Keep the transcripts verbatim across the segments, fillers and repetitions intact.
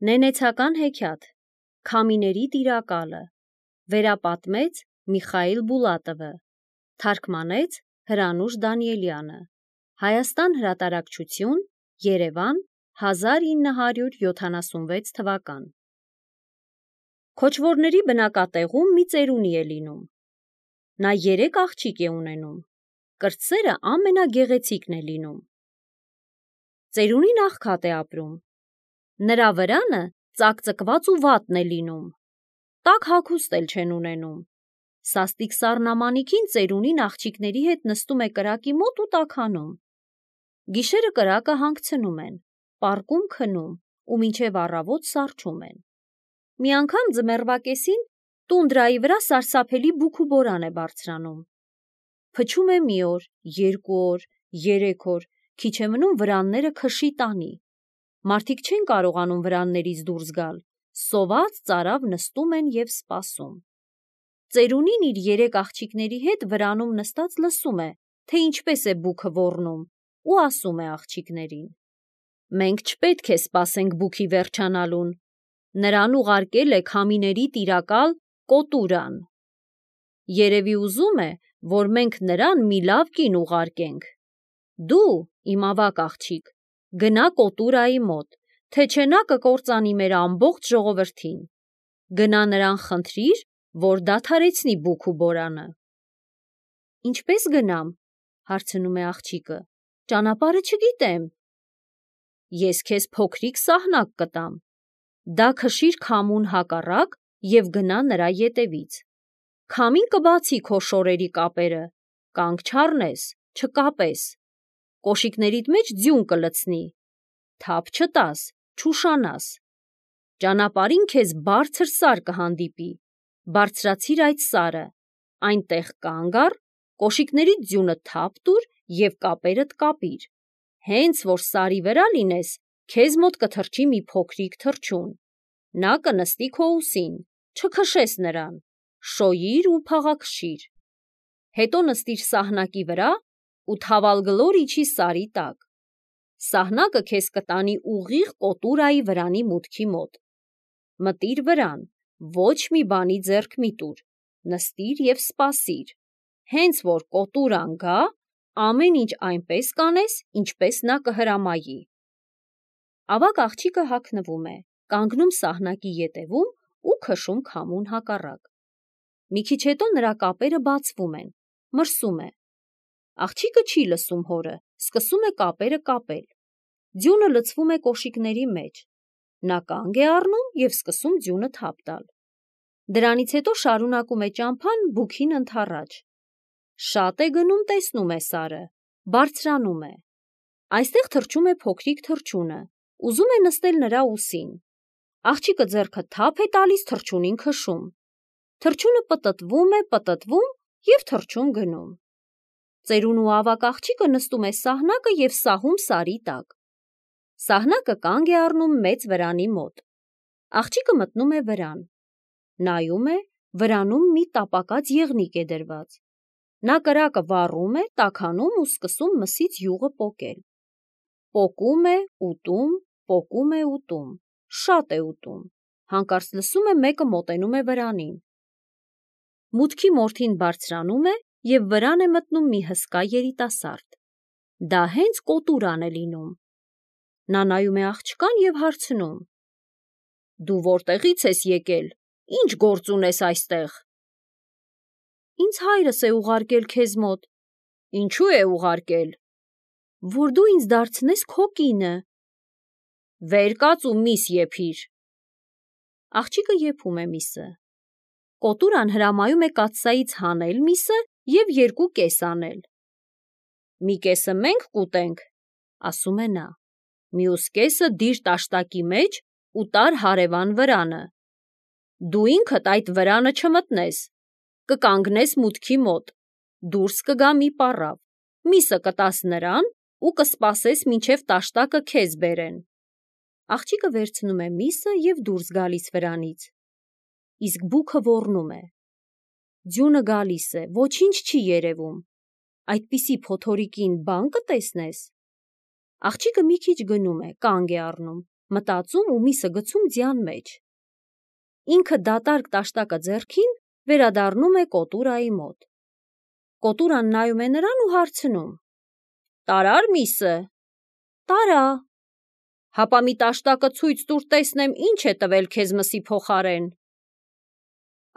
Նենեցական հեքիաթ, Քամիների տիրակալը, վերապատմեց Միխայիլ Բուլատովը, թարգմանեց Հրանուշ Դանիելյանը, Հայաստան հրատարակչություն, Երևան, հազար ինը հարյուր յոթանասունվեց թվական։ Քոչվորների բնակատեղում մի ծերունի է լինում։ Նա երեք աղջիկ է ունենում, կրտսերը ամենագեղեցիկն է լինում։ Ծերունին աղքատ է ապրում։ Նրա վրանը ծակծկված ու վատն է լինում, տաք հագուստ էլ չեն ունենում։ Սաստիկ սառնամանիքին ծերունին աղջիկների հետ նստում է կրակի մոտ ու տաքանում։ Գիշերը կրակը հանգցնում են, պառկում քնում ու մինչև առավոտ սառչում են։ Մի անգամ ձմեռվա կեսին տունդրայի վրա սարսափելի բուք ու բորան է բարձրանում։ Փչում է մի օր, երկու օր, երեք օր, քիչ է մնում վրանները քշի տանի։ Մարդիկ չեն կարողանում վրաններից դուրս գալ, սոված ծարավ նստում են և սպասում։ Ծերունին իր երեք աղջիկների հետ վրանում նստած լսում է, թե ինչպես է բուքը ոռնում, ու ասում է աղջիկներին. «Մենք չպետք է սպասենք բուքի վերջանալուն, նրան ուղարկել է քամիների տիրակալ Կոտուրան։ Երևի ուզում է, որ մենք նրան մի լավ կին ուղարկենք։ Դու, իմ ավագ աղջիկ, գնա Կոտուրայի մոտ, թե չէ նա կկործանի մեր ամբողջ ժողովրդին։ Գնա նրան խնդրիր, որ դադարեցնի բուք ու բորանը»։ «Ինչպես գնամ», հարցնում է աղջիկը, «ճանապարհը չգիտեմ»։ «Ես քեզ փոքրիկ սահնակ կտամ, դա քշիր քամուն հակառակ և գնա նրա ետևից։ Քամին կբացի քո շորերի կապերը, կանգ չառնես, չկապես, կոշիկներիդ մեջ ձյուն կլցնի, թափ չտաս, չուշանաս։ Ճանապարհին քեզ բարձր սար կհանդիպի, բարձրացիր այդ սարը, այնտեղ կանգ առ, կոշիկներիդ ձյունը թափ տուր և կապերդ կապիր։ Հենց որ սարի վրա լինես, քեզ մոտ կթռչի մի փոքրիկ թռչուն, նա կնստի քո ուսին, չքշես նրան, շոյիր ու փաղաքշիր։ Հետո նստիր սահնակի վրա ու թավալգլոր իջի սարի տակ։ Սահնակը քեզ կտանի ուղիղ Կոտուրայի վրանի մուտքի մոտ։ Մտիր վրան, ոչ մի բանի ձեռք մի տուր, նստիր և սպասիր։ Հենց որ Կոտուրան գա, ամեն ինչ այնպես կանես, ինչպես նա կհրամայի»։ Ավագ աղջիկը հագնվում է, կանգնում սահնակի ետևում ու քշում քամուն հակառակ։ Մի քիչ հետո նրա կապերը բացվում են, մրսում է։ Աղջիկը չի լսում հորը, սկսում է կապերը կապել։ Ձյունը լցվում է կոշիկների մեջ։ Նա կանգ է առնում և սկսում ձյունը թափ տալ։ Դրանից հետո շարունակում է ճամփան բուքին ընդառաջ։ Շատ է գնում, տեսնում է սարը, բարձրանում է։ Այստեղ թռչում է փոքրիկ թռչունը, ուզում է նստել նրա ուսին։ Աղջիկը ձեռքը թափ է տալիս թռչունին քշում։ Թռչունը պտտվում է, պտտվում և թռչուն գնում։ Ծերունու ավագ աղջիկը նստում է սահնակը և սահում սարի տակ։ Սահնակը կանգ է առնում մեծ վրանի մոտ։ Աղջիկը մտնում է վրան։ Նայում է, վրանում մի տապակած եղնիկ է դրված։ Նա կրակը վառում է, տաքանում ու սկսում մսից յուղը պոկել։ Պոկում է, ուտում, պոկում է, ուտում, շատ է ուտում, հանկարծ լսում է մեկը մոտենում է վրանին։ Մուտքի մորթին բարձրանում է և վրան է մտնում մի հսկա երիտասարդ։ Դա հենց Կոտուրան է լինում։ Նա նայում է աղջկան և հարցնում. «Դու որտեղից ես եկել, ինչ գործ ունես այստեղ»։ «Ինձ հայրս է ուղարկել քեզ մոտ»։ «Ինչու է ուղարկել»։ «Որ դու ինձ դարձնես քո կինը»։ «Վեր կաց ու միս եփիր»։ Աղջիկը եփում է միսը։ Կոտուրան հրամայում է կաթսայից հանել միսը և երկու կես անել։ «Մի կեսը մենք կուտենք», ասում է նա, «մյուս կեսը դիր տաշտակի մեջ ու տար հարևան վրանը։ Դու ինքդ այդ վրանը չմտնես, կկանգնես մուտքի մոտ, դուրս կգա մի պառավ, միսը կտաս նրան ու կսպասես, մինչև տաշտակը քեզ բերեն»։ Աղջիկը վերցնում է միսը և դուրս գալիս վրանից։ Իսկ բուքը ոռնում է։ Ձյունը գալիս է, ոչինչ չի երևում։ Այդպիսի փոթորիկին բան կտեսնես։ Աղջիկը մի քիչ գնում է, կանգ է առնում, մտածում ու միսը գցում ձյան մեջ։ Ինքը դատարկ տաշտակը ձեռքին վերադառնում է կոտուրայի մոտ։ Կոտուրան նայում է նրան ու հարցնում. «Տարա՞ր միսը»։ «Տարա»։ «Հապա մի տաշտակը ցույց տուր տեսնեմ, ինչ է տվել քեզ մսի փոխարեն»։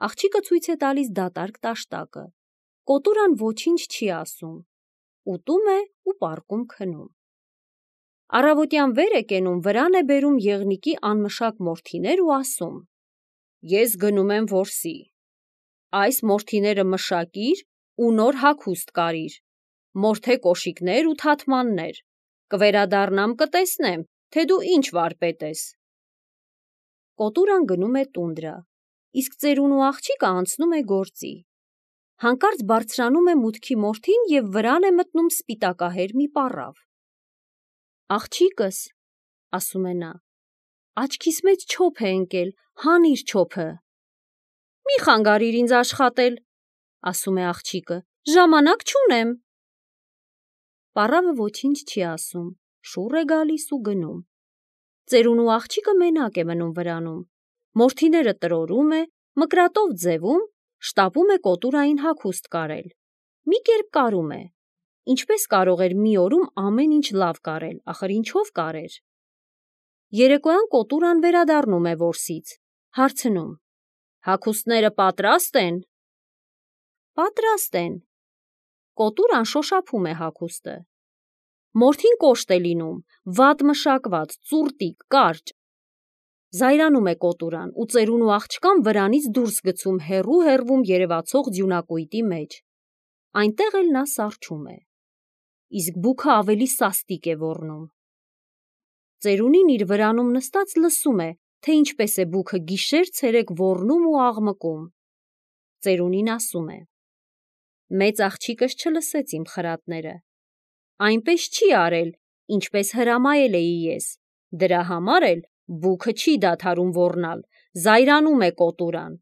Աղջիկը ցույց է տալիս դատարկ տաշտակը։ Կոտուրան ոչինչ չի ասում, ուտում է ու պառկում քնում։ Առավոտյան վեր է կենում, վրան է բերում եղնիկի անմշակ մորթիներ ու ասում. «Ես գնում եմ որսի։ Այս մորթիները մշակիր ու նոր հագուստ կարիր, մորթե կոշիկներ ու թաթմաններ, կվերադառնամ կտեսնեմ, թե դու ինչ վարպետ ես»։ Կոտուրան գնում է տունդրա, իսկ ծերունու աղջիկը անցնում է գործի։ Հանկարծ բարձրանում է մուտքի մորթին և վրան է մտնում սպիտակահեր մի պառավ։ «Աղջիկս», ասում է նա, «աչքիս մեջ չոփ է ընկել, հանիր չոփը»։ «Մի խանգարիր ինձ աշխատել», ասում է աղջիկը, «ժամանակ չունեմ»։ Պառավը ոչինչ չի ասում, շուռ է գալիս ու գնում։ Ծերունու աղջիկը մենակ է մնում վրանում, մորթիները տրորում է, մկրատով ձևում, շտապում է կոտուրային հագուստ կարել։ Մի կերպ կարում է։ Ինչպես կարող էր մի օրում ամեն ինչ լավ կարել, ախր ինչով կարեր։ Երեկոյան կոտուրան վերադառնում է որսից, հարցնում. «Հագուստները պատրաստ են»։ «Պատրաստ են»։ Կոտուրան շոշափում է հագուստը։ Մորթին կոշտ է լինում, վատ մշակված, ծուռտիկ, կարճ։ Զայրանում է կոտուրան ու ծերունու աղջկան վրանից դուրս գցում հեռու-հեռվում երևացող ձյունակույտի մեջ։ Այնտեղ էլ նա սառչում է։ Իսկ բուքը ավելի սաստիկ է ոռնում։ Ծերունին իր վրանում նստած լսում է, թե ինչպես է բուքը գիշեր-ցերեկ ոռնում ու աղմկում։ Ծերունին ասում է. «Մեծ աղջիկս չլսեց իմ խրատները։ Այնպես չի արել, ինչպես հրամայել էի ես, դրա համար էլ բուքը չի դադարում ոռնալ, զայրանում է կոտուրան։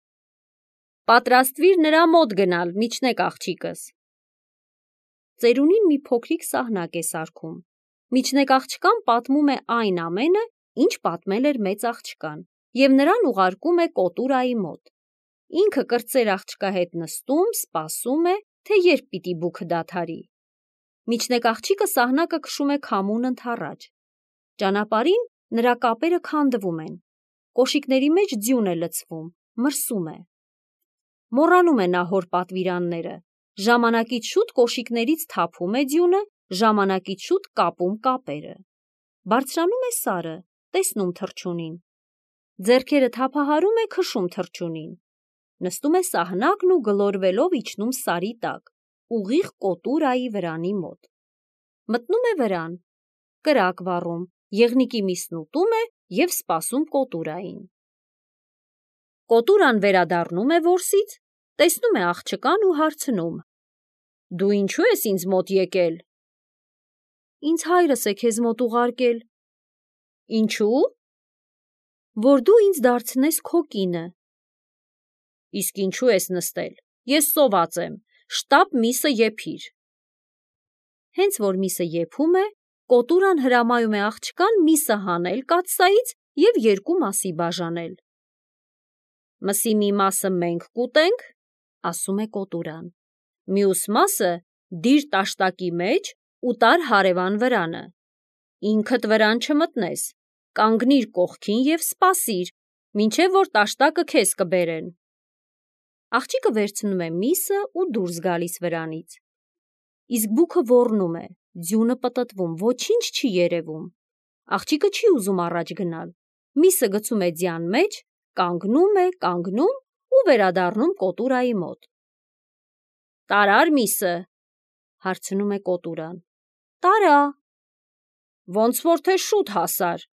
Պատրաստվիր նրա մոտ գնալ, միջնեկ աղջիկս»։ Ծերունին մի փոքրիկ սահնակ է սարքում։ Միջնեկ աղջկան պատմում է այն ամենը, ինչ պատմել էր մեծ աղջկան, և նրան ուղարկում է կոտուրայի մոտ։ Ինքը կրտսեր աղջկա հետ նստում, սպասում է, թե երբ պիտի բուքը դադարի։ Միջնեկ աղջիկը սահնակը քշում է քամուն ընդառաջ։ Ճանապարհին նրա կապերը քանդվում են, կոշիկների մեջ ձյուն է լցվում, մրսում է։ Մոռանում է նա հոր պատվիրանները, ժամանակից շուտ կոշիկներից թափում է ձյունը, ժամանակից շուտ կապում կապերը։ Բարձրանում է սարը, տեսնում թռչունին։ Ձեռքերը թափահարում է, քշում թռչունին։ Նստում է սահնակն ու գլորվելով իջնում սարի տակ, ուղիղ կոտուրայի վրանի մոտ։ Մտնում է վրան, կրակ վառում, եղնիկի միսն ուտում է և սպասում կոտուրային։ Կոտուրան վերադառնում է որսից, տեսնում է աղջկան ու հարցնում. «Դու ինչու ես ինձ մոտ եկել»։ «Ինձ հայրս է քեզ մոտ ուղարկել»։ «Ինչու»։ «Որ դու ինձ դարձնես քո կինը»։ «Իսկ ինչու ես նստել, ես սոված եմ, շտապ միսը եփիր»։ Հենց որ միսը եփում է, կոտուրան հրամայում է աղջկան միսը հանել կաթսայից և երկու մասի բաժանել։ «Մսի մի մասը մենք կուտենք», ասում է կոտուրան, «մյուս մասը դիր տաշտակի մեջ ու տար հարևան վրանը։ Ինքդ վրան չմտնես, կանգնիր կողքին և սպասիր, մինչև որ տաշտակը քեզ կբերեն»։ Աղջիկը վերցնում է միսը ու դուրս գալիս վրանից։ Իսկ բուքը ոռնում է, ձյունը պտտվում, ոչինչ չի երևում։ Աղջիկը չի ուզում առաջ գնալ, միսը գցում է ձյան մեջ, կանգնում է, կանգնում ու վերադառնում կոտուրայի մոտ։ «Տարա՞ր միսը», հարցնում է կոտուրան։ «Տարա»։ «Ոնց որ թե շուտ հասար։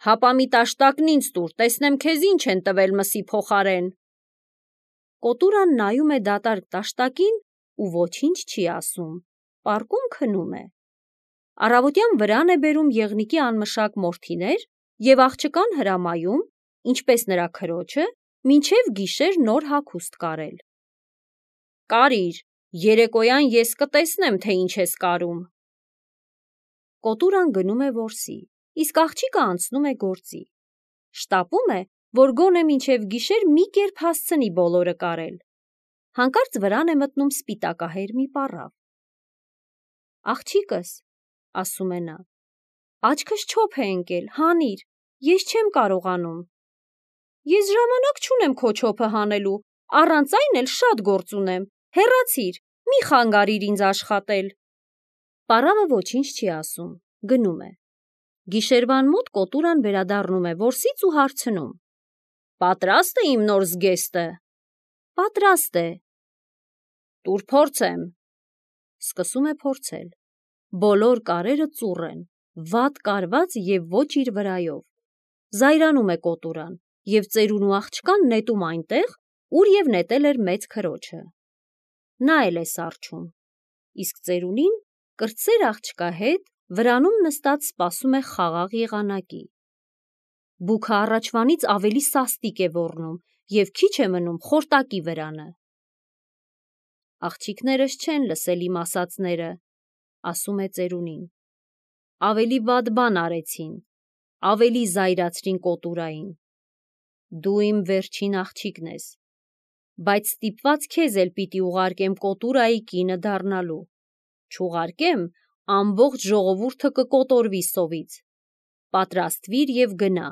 Հապա մի տաշտակն ինձ տուր, տեսնեմ քեզ ինչ են տվել մսի փոխարեն»։ Կոտուրան նայում է դատարկ տաշտակին ու ոչինչ չի ասում, պառկում քնում է։ Առավոտյան վրան է բերում եղնիկի անմշակ մորթիներ և աղջկան հրամայում, ինչպես նրա քրոջը, մինչև գիշեր նոր հագուստ կարել։ «Կարիր, երեկոյան ես կտեսնեմ, թե ինչ ես կարում»։ Կոտուրան գնում է որսի, իսկ աղջիկը անցնում է գործի։ Շտապում է, որ գոնե մինչև գիշեր մի կերպ հասցնի բոլորը կարել։ Հանկարծ վրան է մտնում սպիտակահեր մի պառավ։ «Աղջիկս», ասում է նա, «աչքս չոփ է ընկել, հանիր, ես չեմ կարողանում»։ «Ես ժամանակ չունեմ քո չոփը հանելու, առանց այն էլ շատ գործ ունեմ, հեռացիր, մի խանգարիր ինձ աշխատել»։ Պառավը ոչինչ չի ասում, գնում է։ Գիշերվան մոտ կոտուրան վերադառնում է որսից ու հարցնում. «Պատրաստ է իմ նոր զգեստը»։ «Պատրաստ է»։ «Տուր փորձեմ»։ Սկսում է փորձել։ Բոլոր կարերը ծուռ են, վատ կարված և ոչ իր վրայով։ Զայրանում է կոտուրան և ծերունու աղջկան նետում այնտեղ, ուր և նետել էր մեծ քրոջը։ Նա էլ է սառչում, իսկ ծերունին կրտսեր աղջկա հետ վրանում նստած սպասում է խաղաղ եղանակի։ Բուքը առաջվանից ավելի սաստիկ է ոռնում և քիչ է մնում խորտակի վրանը։ «Աղջիկներս չեն լսել իմ ասածները», ասում է ծերունին։ «Ավելի վատ բան արեցին, ավելի զայրացրին կոտուրային։ Դու իմ վերջին աղջիկն ես, բայց ստիպված քեզ էլ պիտի ուղարկեմ կոտուրայի կինը դառնալու, չուղարկեմ, ամբողջ ժողովուրդը կկոտորվի սովից։ Պատրաստվիր և գնա»։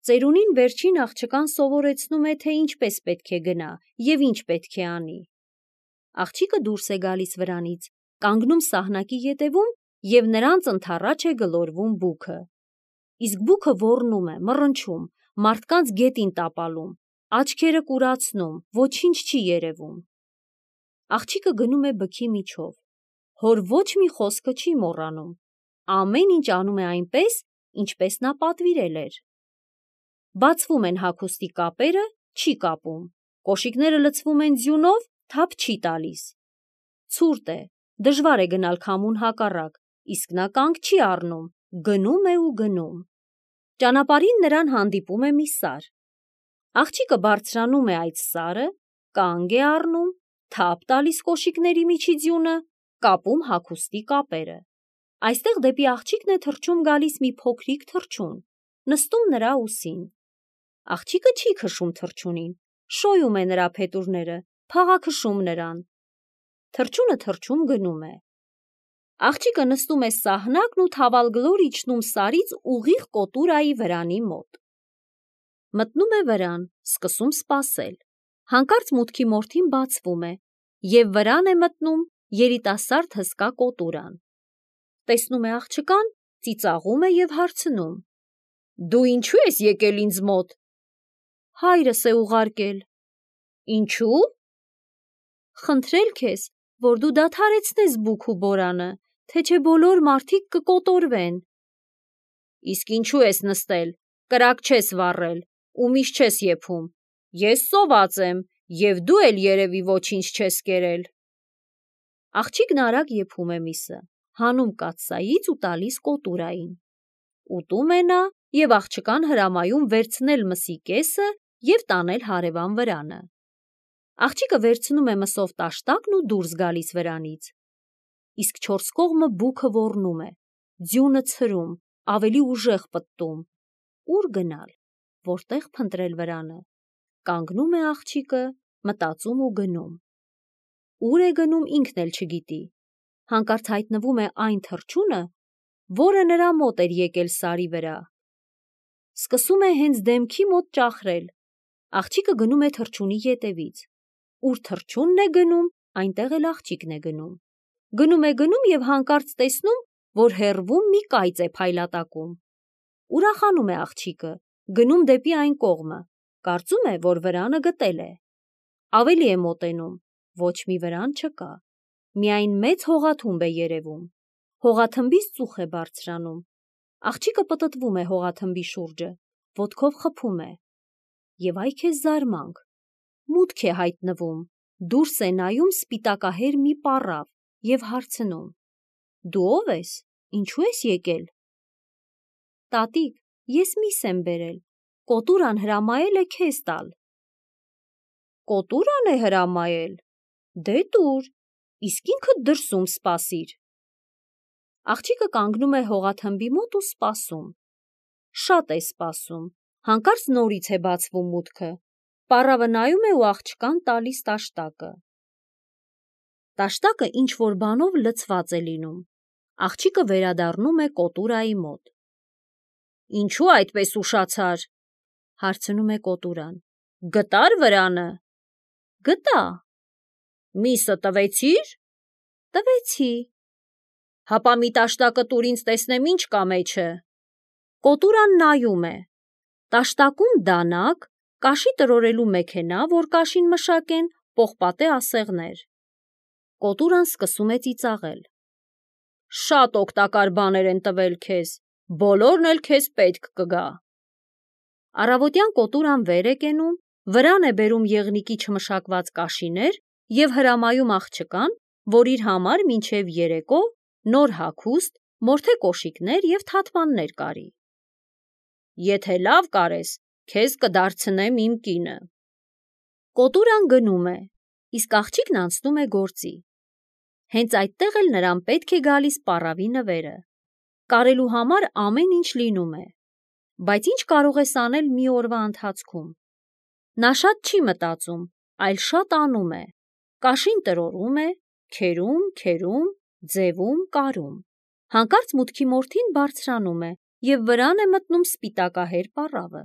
Ծերունին վերջին աղջկան սովորեցնում է, թե ինչպես պետք է գնա և ինչ պետք է անի։ Աղջիկը դուրս է գալիս վրանից, կանգնում սահնակի ետևում և նրանց ընդառաջ է գլորվում բուքը։ Իսկ բուքը ոռնում է, մռնչում, մարդկանց գետին տապալում, աչքերը կուրացնում, ոչինչ չի երևում։ Աղջիկը գնում է բքի միջով, հոր ոչ մի խոսքը չի մոռանում, ամեն ինչ անում է այնպես, ինչպես նա պատվիրել էր։ Բացվում են հագուստի կապերը, չի կապում, կոշիկները լցվում են ձյունով, թափ չի տալիս։ Ցուրտ է, դժվար է գնալ քամուն հակառակ, իսկ նա կանգ չի առնում, գնում է ու գնում։ Ճանապարհին նրան հանդիպում է մի սար։ Աղջիկը բարձրանում է այդ սարը, կանգ է առնում, թափ տալիս կոշիկների միջի ձյունը, կապում հագուստի կապերը։ Այստեղ դեպի աղջիկն է թռչում գալիս մի փոքրիկ թռչուն, նստում նրա ուսին։ Աղջիկը չի քշում թռչունին, շոյում է նրա փետուրները, փաղաքշում նրան։ Թռչունը թռչում գնում է։ Աղջիկը նստում է սահնակն ու թավալգլոր իջնում սարից ուղիղ կոտուրայի վրանի մոտ։ Մտնում է վրան, սկսում սպասել։ Հանկարծ մուտքի մորթին բացվում է, և վրան է մտնում երիտասարդ հսկա կոտուրան։ Տեսնում է աղջկան, ծիծաղում է և հարցնում. «Դու ինչու ես եկել ինձ մոտ»։ «Հայրս է ուղարկել»։ «Ինչու»։ «Խնդրել քեզ, որ դու դադարեցնես բուք ու բորանը, թե չէ բոլոր մարդիկ կկոտորվեն»։ «Իսկ ինչու ես նստել, կրակ չես վառել ու միշ չես եփում, ես սոված եմ, և դու էլ երևի ոչինչ չես կերել»։ Աղջիկն արագ եփում է միսը, հանում կաթսայից ու տալիս կոտուրային։ Ուտում է նա և աղջկան հրամայում վերցնել մսի կեսը և տանել հարևան վրանը։ Աղջիկը վերցնում է մսով տաշտակն ու դուրս գալիս վրանից։ Իսկ չորս կողմը բուքը ոռնում է, ձյունը ցրում, ավելի ուժեղ պտտում։ Ուր գնալ, որտեղ փնտրել վրանը։ Կանգնում է աղջիկը, մտածում ու գնում։ Ուր է գնում ինքն էլ չգիտի։ Հանկարծ հայտնվում է այն թռչունը, որը նրա մոտ էր եկել սարի վրա։ Սկսում է հենց դեմքի մոտ ճախրել։ Աղջիկը գնում է թռչունի ետևից։ Ուր թռչունն է գնում, այնտեղ էլ աղջիկն է գնում։ Գնում է գնում և հանկարծ տեսնում, որ հեռվում մի կայծ է փայլատակում։ Ուրախանում է աղջիկը, գնում դեպի այն կողմը, կարծում է, որ վրանը գտել է։ Ավելի է մոտենում, ոչ մի վրան չկա, միայն մեծ հողաթումբ է երևում։ Հողաթմբից ծուխ է բարձրանում։ Աղջիկը պտտվում է հողաթմբի շուրջը, ոտքով խփում է։ Եվ այ քեզ զարմանք, մուտք է հայտնվում, դուրս է նայում սպիտակահեր մի պառավ և հարցնում. «Դու ո՞վ ես, ինչու ես եկել»։ «Տատիկ, ես միս եմ բերել, կոտուրան հրամայել է քեզ տալ»։ «Կոտուրան է հրամայել, դե տուր, իսկ ինքդ դրսում սպասիր»։ Աղջիկը կանգնում է հողաթմբի մոտ ու սպասում։ Շատ է սպասում, հանկարծ նորից է բացվում մուտքը։ Պառավը նայում է ու աղջկան տալիս տաշտակը։ Տաշտակը ինչ-որ բանով լցված է լինում։ Աղջիկը վերադառնում է կոտուրայի մոտ։ Ինչու այդպես ուշացար, հարցնում է կոտուրան։ Գտար վրանը։ Գտա։ Միսը տվեցի՞ր։ Տվեցի։ Հապա մի տաշտակը տուր ինձ տեսնեմ ինչ կա մեջը։ Կոտուրան նայում է։ Տաշտակում դանակ, կաշի տրորելու մեքենա, որ կաշին մշակեն, պողպատե ասեղներ։ Կոտուրան սկսում է ծիծաղել։ Շատ օգտակար բաներ են տվել քեզ, բոլորն էլ քեզ պետք կգա։ Առավոտյան կոտուրան վեր է կենում, վրան է բերում եղնիկի չմշակված կաշիներ և հրամայում աղջկան, որ իր համար մինչև երեկո նոր հագուստ, մորթե կոշիկներ և թաթմաններ կարի։ Եթե լավ կարես, քեզ կդարձնեմ իմ կինը։ Կոտուրան գնում է, իսկ աղջիկն անցնում է գործի։ Հենց այդտեղ էլ նրան պետք է գալիս պառավի նվերը։ Կարելու համար ամեն ինչ լինում է, բայց ինչ կարող ես անել մի օրվա ընթացքում։ Նա շատ չի մտածում, այլ շատ անում է։ Կաշին տրորում է, քերում, քերում, ձևում, կարում։ Հանկարծ մուտքի մորթին բարձրանում է և վրան է մտնում սպիտակահեր պառավը։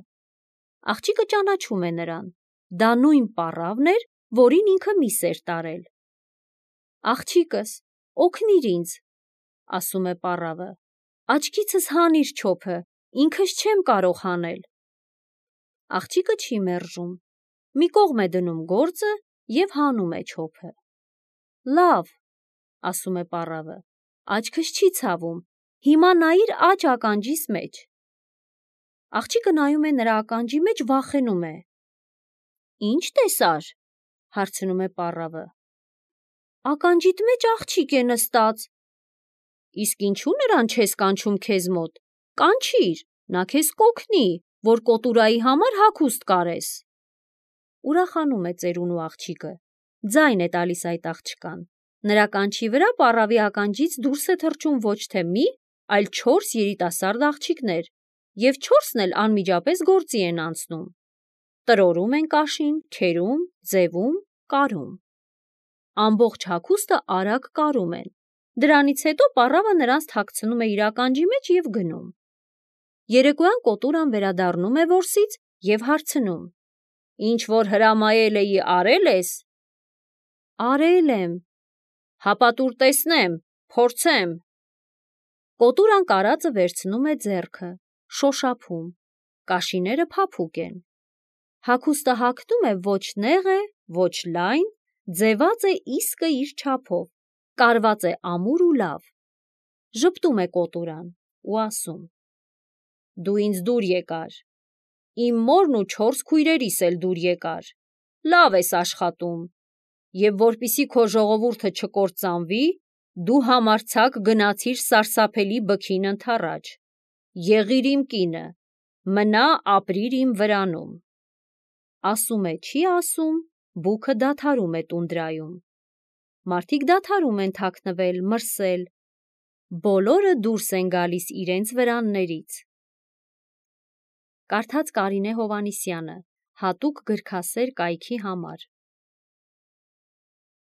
Աղջիկը ճանաչում է նրան։ Դա նույն պառավն էր, որին ինքը միս էր տարել։ Աղջիկս, օգնիր ինձ, ասում է պառավը։ Աչքիցս հանիր չոփը, ինքս չեմ կարող հանել։ Աղջիկը չի մերժում։ Մի կողմ է դնում գործը և հանում է չոփը։ Լավ, ասում է պառավը, աչքս չի ցավում, հիմա նայիր աջ ականջիս մեջ։ Աղջիկը նայում է նրա ականջի մեջ, վախենում է։ Ինչ տեսար, հարցնում է պառավը։ Ականջիդ մեջ աղջիկ է նստած։ Իսկ ինչու նրան չես կանչում քեզ մոտ, կանչիր, նա քեզ կօգնի, որ կոտուրայի համար հագուստ կարես։ Ուրախանում է ծերունու աղջիկը, ձայն է տալիս այդ աղջկան։ Նրա կանչի վրա պառավի ականջից դուրս է թռչում ոչ թե մի, այլ չորս երիտասարդ աղջիկներ, և չորսն էլ անմիջապես գործի են անցնում։ Տրորում են կաշին, քերում, ձևում, կարում։ Ամբողջ հագուստը արագ կարում են։ Դրանից հետո պառավը նրանց թաքցնում է իր ականջի մեջ և գնում։ Երեկոյան կոտուրան վերադառնում է որսից և հարցնում. Ինչ որ հրամայել էի, արել ես։ Արել եմ։ Հապա տուր տեսնեմ, փորձեմ։ Կոտուրան կարածը վերցնում է ձեռքը, շոշափում։ Կաշիները փափուկ են։ Հագուստը հագնում է ոչ նեղ է, ոչ լայն, ձևած է իսկը իր չափով, կարված է ամուր ու լավ։ Ժպտում է կոտուրան ու ասում. Դու ինձ դուր եկար։ Իմ մորն ու չորս քույրերիս էլ դուր եկար։ Լավ ես աշխատում։ Եվ որպեսզի քո ժողովուրդը չկործանվի, դու համարձակ գնացիր սարսափելի բքին ընդառաջ։ Եղիր իմ կինը, մնա ապրիր իմ վրանում։ Ասում է չի ասում, բուքը դադարում է տունդրայում։ Մարդիկ դադարում են թաքնվել, մրսել։ Բոլորը դուրս են գալիս իրենց վրաններից։ Կարդաց Կարինե Հովհաննիսյանը, հատուկ գրքասեր կայքի համար։